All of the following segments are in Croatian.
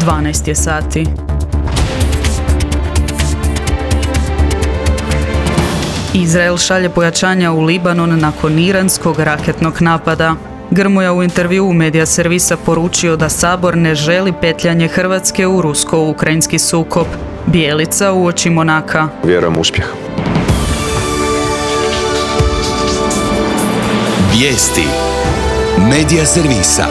12 je sati. Izrael šalje pojačanja u Libanon nakon iranskog raketnog napada. Grmoja u intervjuu Medija servisa poručio da Sabor ne želi petljanje Hrvatske u rusko-ukrajinski sukob. Bijelica uoči Monaka. Vjerujem u uspjeh. Vijesti Medija servisa.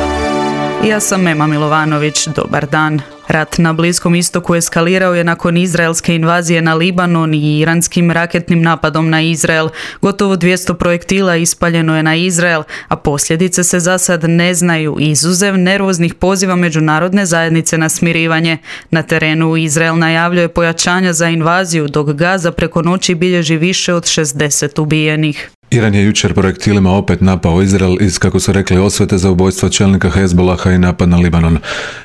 Ja sam Ema Milovanović, dobar dan. Rat na Bliskom istoku eskalirao je nakon izraelske invazije na Libanon i iranskim raketnim napadom na Izrael. Gotovo 200 projektila ispaljeno je na Izrael, a posljedice se za sad ne znaju, izuzev nervoznih poziva međunarodne zajednice na smirivanje. Na terenu Izrael najavljuje pojačanja za invaziju, dok Gaza preko noći bilježi više od 60 ubijenih. Iran je jučer projektilima opet napao Izrael iz, kako su rekli, osvete za ubojstvo čelnika Hezbolaha i napad na Libanon.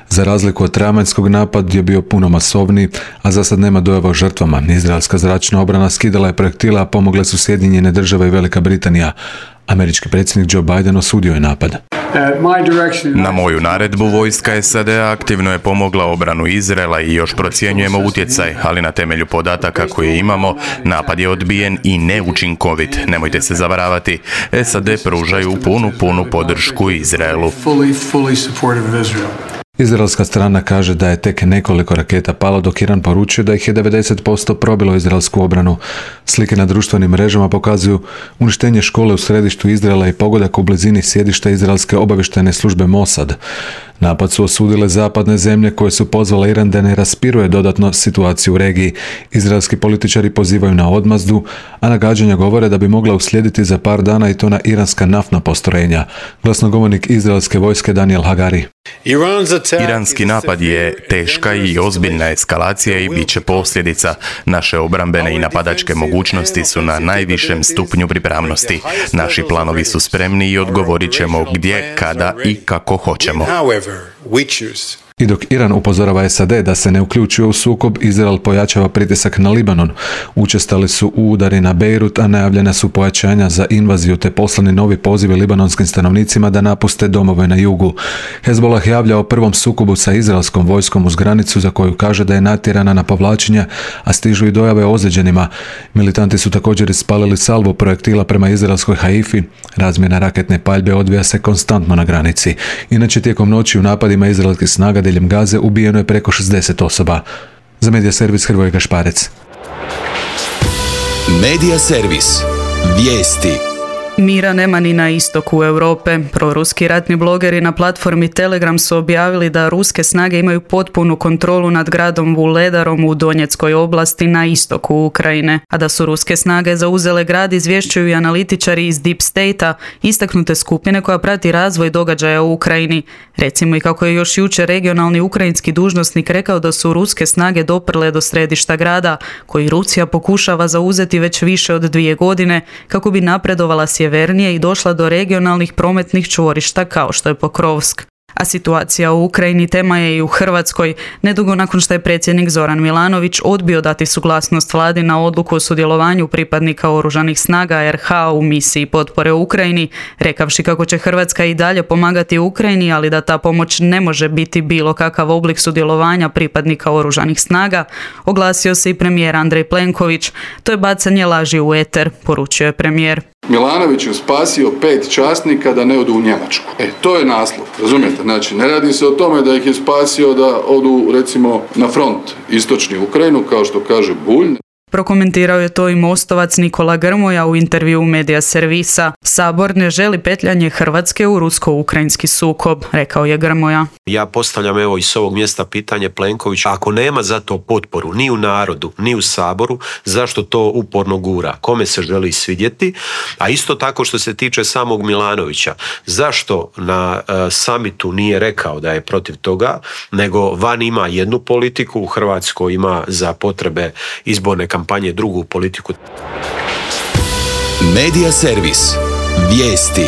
Za razliku od travanjskog, napad je bio puno masovniji, a za sad nema dojava o žrtvama. Izraelska zračna obrana skidala je projektila, a pomogle su Sjedinjene Države i Velika Britanija. Američki predsjednik Joe Biden osudio je napad. Na moju naredbu vojska SAD-a aktivno je pomogla obranu Izraela i još procjenjujemo utjecaj, ali na temelju podataka koje imamo, napad je odbijen i neučinkovit. Nemojte se zavaravati, SAD pružaju punu podršku Izraelu. Izraelska strana kaže da je tek nekoliko raketa palo, dok Iran poručuje da ih je 90% probilo izraelsku obranu. Slike na društvenim mrežama pokazuju uništenje škole u središtu Izraela i pogodak u blizini sjedišta izraelske obavještajne službe Mossad. Napad su osudile zapadne zemlje koje su pozvale Iran da ne raspiruje dodatno situaciju u regiji. Izraelski političari pozivaju na odmazdu, a nagađanja govore da bi mogla uslijediti za par dana i to na iranska naftna postrojenja. Glasnogovornik izraelske vojske Daniel Hagari. Iranski napad je teška i ozbiljna eskalacija i bit će posljedica. Naše obrambene i napadačke mogućnosti su na najvišem stupnju pripravnosti. Naši planovi su spremni i odgovorit ćemo gdje, kada i kako hoćemo. I dok Iran upozorava SAD da se ne uključuje u sukob, Izrael pojačava pritisak na Libanon. Učestali su udari na Bejrut, a najavljena su pojačanja za invaziju te poslani novi pozivi libanonskim stanovnicima da napuste domove na jugu. Hezbolah javlja o prvom sukobu sa izraelskom vojskom uz granicu za koju kaže da je natjerana na povlačenje, a stižu i dojave o ozlijeđenima. Militanti su također ispalili salvu projektila prema izraelskoj Haifi. Razmjena raketne paljbe odvija se konstantno na granici. Inače, tijekom noći u napadima izraelskih snaga diljem Gaze ubijeno je preko 60 osoba. Za Medija servis Hrvoje Gašparec. Medija servis. Vijesti. Mira nema ni na istoku Europe. Proruski ratni blogeri na platformi Telegram su objavili da ruske snage imaju potpunu kontrolu nad gradom Vuledarom u Donjeckoj oblasti na istoku Ukrajine. A da su ruske snage zauzele grad izvješćuju i analitičari iz Deep State-a, istaknute skupine koja prati razvoj događaja u Ukrajini. Recimo i kako je još jučer regionalni ukrajinski dužnosnik rekao da su ruske snage doprle do središta grada, koji Rusija pokušava zauzeti već više od 2 godine, kako bi napredovala sjevernije i došla do regionalnih prometnih čvorišta kao što je Pokrovsk. A situacija u Ukrajini tema je i u Hrvatskoj. Nedugo nakon što je predsjednik Zoran Milanović odbio dati suglasnost vladi na odluku o sudjelovanju pripadnika oružanih snaga RH u misiji potpore Ukrajini, rekavši kako će Hrvatska i dalje pomagati Ukrajini, ali da ta pomoć ne može biti bilo kakav oblik sudjelovanja pripadnika oružanih snaga, oglasio se i premijer Andrej Plenković. To je bacanje laži u eter, poručio je premijer. Milanović je spasio 5 časnika da ne odu u Njemačku. To je naslov, razumijete? Znači, ne radi se o tome da ih je spasio da odu, recimo, na front istočni Ukrajinu, kao što kaže Bulj. Prokomentirao je to i Mostovac Nikola Grmoja u intervjuu Medija servisa. Sabor ne želi petljanje Hrvatske u rusko-ukrajinski sukob, rekao je Grmoja. Ja postavljam evo i s ovog mjesta pitanje Plenkoviću, ako nema za to potporu ni u narodu, ni u Saboru, zašto to uporno gura? Kome se želi svidjeti? A isto tako što se tiče samog Milanovića, zašto na samitu nije rekao da je protiv toga, nego van ima jednu politiku, u Hrvatskoj ima za potrebe izborne kampanje drugu politiku. Medija servis. Vijesti.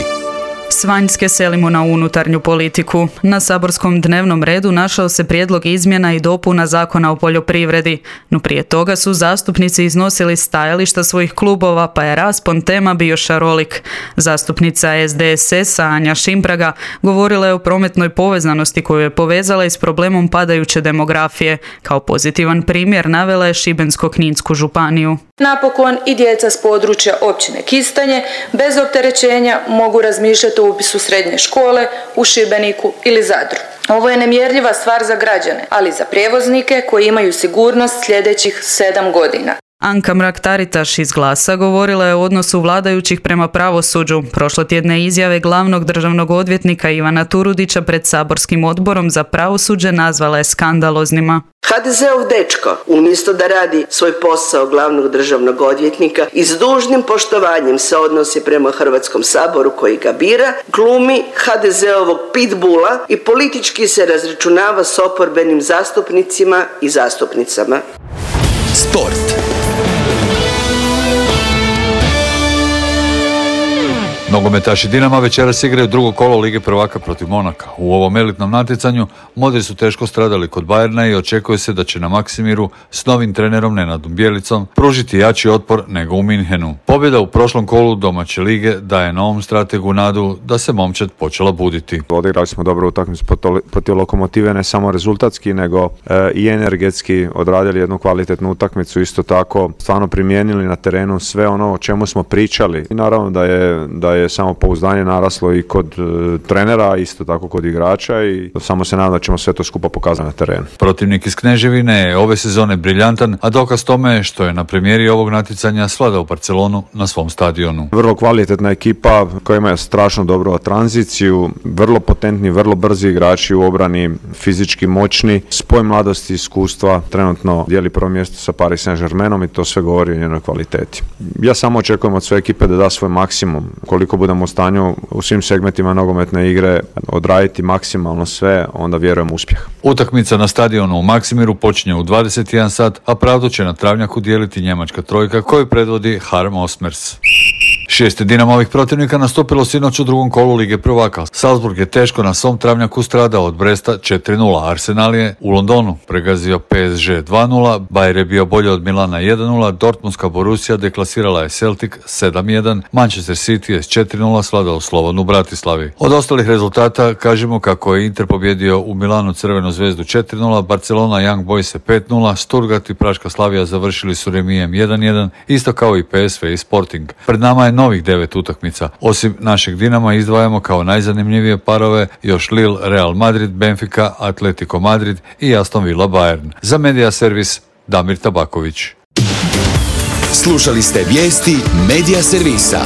S vanjske selimo na unutarnju politiku. Na saborskom dnevnom redu našao se prijedlog izmjena i dopuna Zakona o poljoprivredi, no prije toga su zastupnici iznosili stajališta svojih klubova, pa je raspon tema bio šarolik. Zastupnica SDSS-a Anja Šimpraga govorila je o prometnoj povezanosti koju je povezala i s problemom padajuće demografije. Kao pozitivan primjer navela je Šibensko-kninsku županiju. Napokon i djeca s područja općine Kistanje bez opterećenja mogu razmišljati o upisu srednje škole u Šibeniku ili Zadru. Ovo je nemjerljiva stvar za građane, ali i za prijevoznike koji imaju sigurnost sljedećih 7 godina. Anka Mrak-Taritaš iz Glasa govorila je o odnosu vladajućih prema pravosuđu. Prošlotjedne izjave glavnog državnog odvjetnika Ivana Turudića pred saborskim odborom za pravosuđe nazvala je skandaloznima. HDZ-ov dečko, umjesto da radi svoj posao glavnog državnog odvjetnika i s dužnim poštovanjem se odnosi prema Hrvatskom saboru koji ga bira, glumi HDZ-ovog pitbula i politički se razračunava s oporbenim zastupnicima i zastupnicama. Sport. Nogometaši Dinama večeras igraju drugo kolo Lige prvaka protiv Monaka. U ovom elitnom natjecanju Modri su teško stradali kod Bayerna i očekuje se da će na Maksimiru s novim trenerom Nenadom Bjelicom pružiti jači otpor nego u Minhenu. Pobjeda u prošlom kolu domaće lige daje novom strategu nadu da se momčad počela buditi. Odigrali smo dobro utakmicu protiv Lokomotive, ne samo rezultatski nego i energetski odradili jednu kvalitetnu utakmicu, isto tako stvarno primijenili na terenu sve ono o čemu smo pričali. I naravno da je samopouzdanje naraslo i kod trenera, isto tako kod igrača i samo se nadam da ćemo sve to skupa pokazati na terenu. Protivnik iz Kneževine je ove sezone briljantan, a dokaz tome je što je na premijeri ovog natjecanja svladao Barcelonu na svom stadionu. Vrlo kvalitetna ekipa koja ima strašno dobru tranziciju, vrlo potentni, vrlo brzi igrači u obrani, fizički moćni, spoj mladosti i iskustva, trenutno dijeli prvo mjesto sa Paris Saint-Germainom i to sve govori o njenoj kvaliteti. Ja samo očekujem od sve ekipe da da svoj maksimum, koliko budemo u stanju u svim segmentima nogometne igre odraditi maksimalno sve, onda vjerujem u uspjeh. Utakmica na stadionu u Maksimiru počinje u 21 sat, a pravdu će na travnjaku dijeliti njemačka trojka koju predvodi Harm Osmers. 6 Dinamovih protivnika nastupilo sinoć u drugom kolu Lige prvaka. Salzburg je teško na svom travnjaku stradao od Bresta 4-0. Arsenal je u Londonu pregazio PSG 2-0, Bayer je bio bolje od Milana 1-0, Dortmundska Borussia deklasirala je Celtic 7-1, Manchester City je s 4-0 svladao Slovanu Bratislavi. Od ostalih rezultata kažemo kako je Inter pobjedio u Milanu Crvenu zvezdu 4-0, Barcelona Young Boys 5-0, Stuttgart i Praška Slavija završili su remijem 1-1, isto kao i PSV i Sporting. Pred nama je novih 9 utakmica. Osim našeg Dinama izdvajamo kao najzanimljivije parove još Lille Real Madrid, Benfica, Atletico Madrid i Aston Villa Bayern. Za Media Servis Damir Tabaković. Slušali ste vijesti Media Servisa.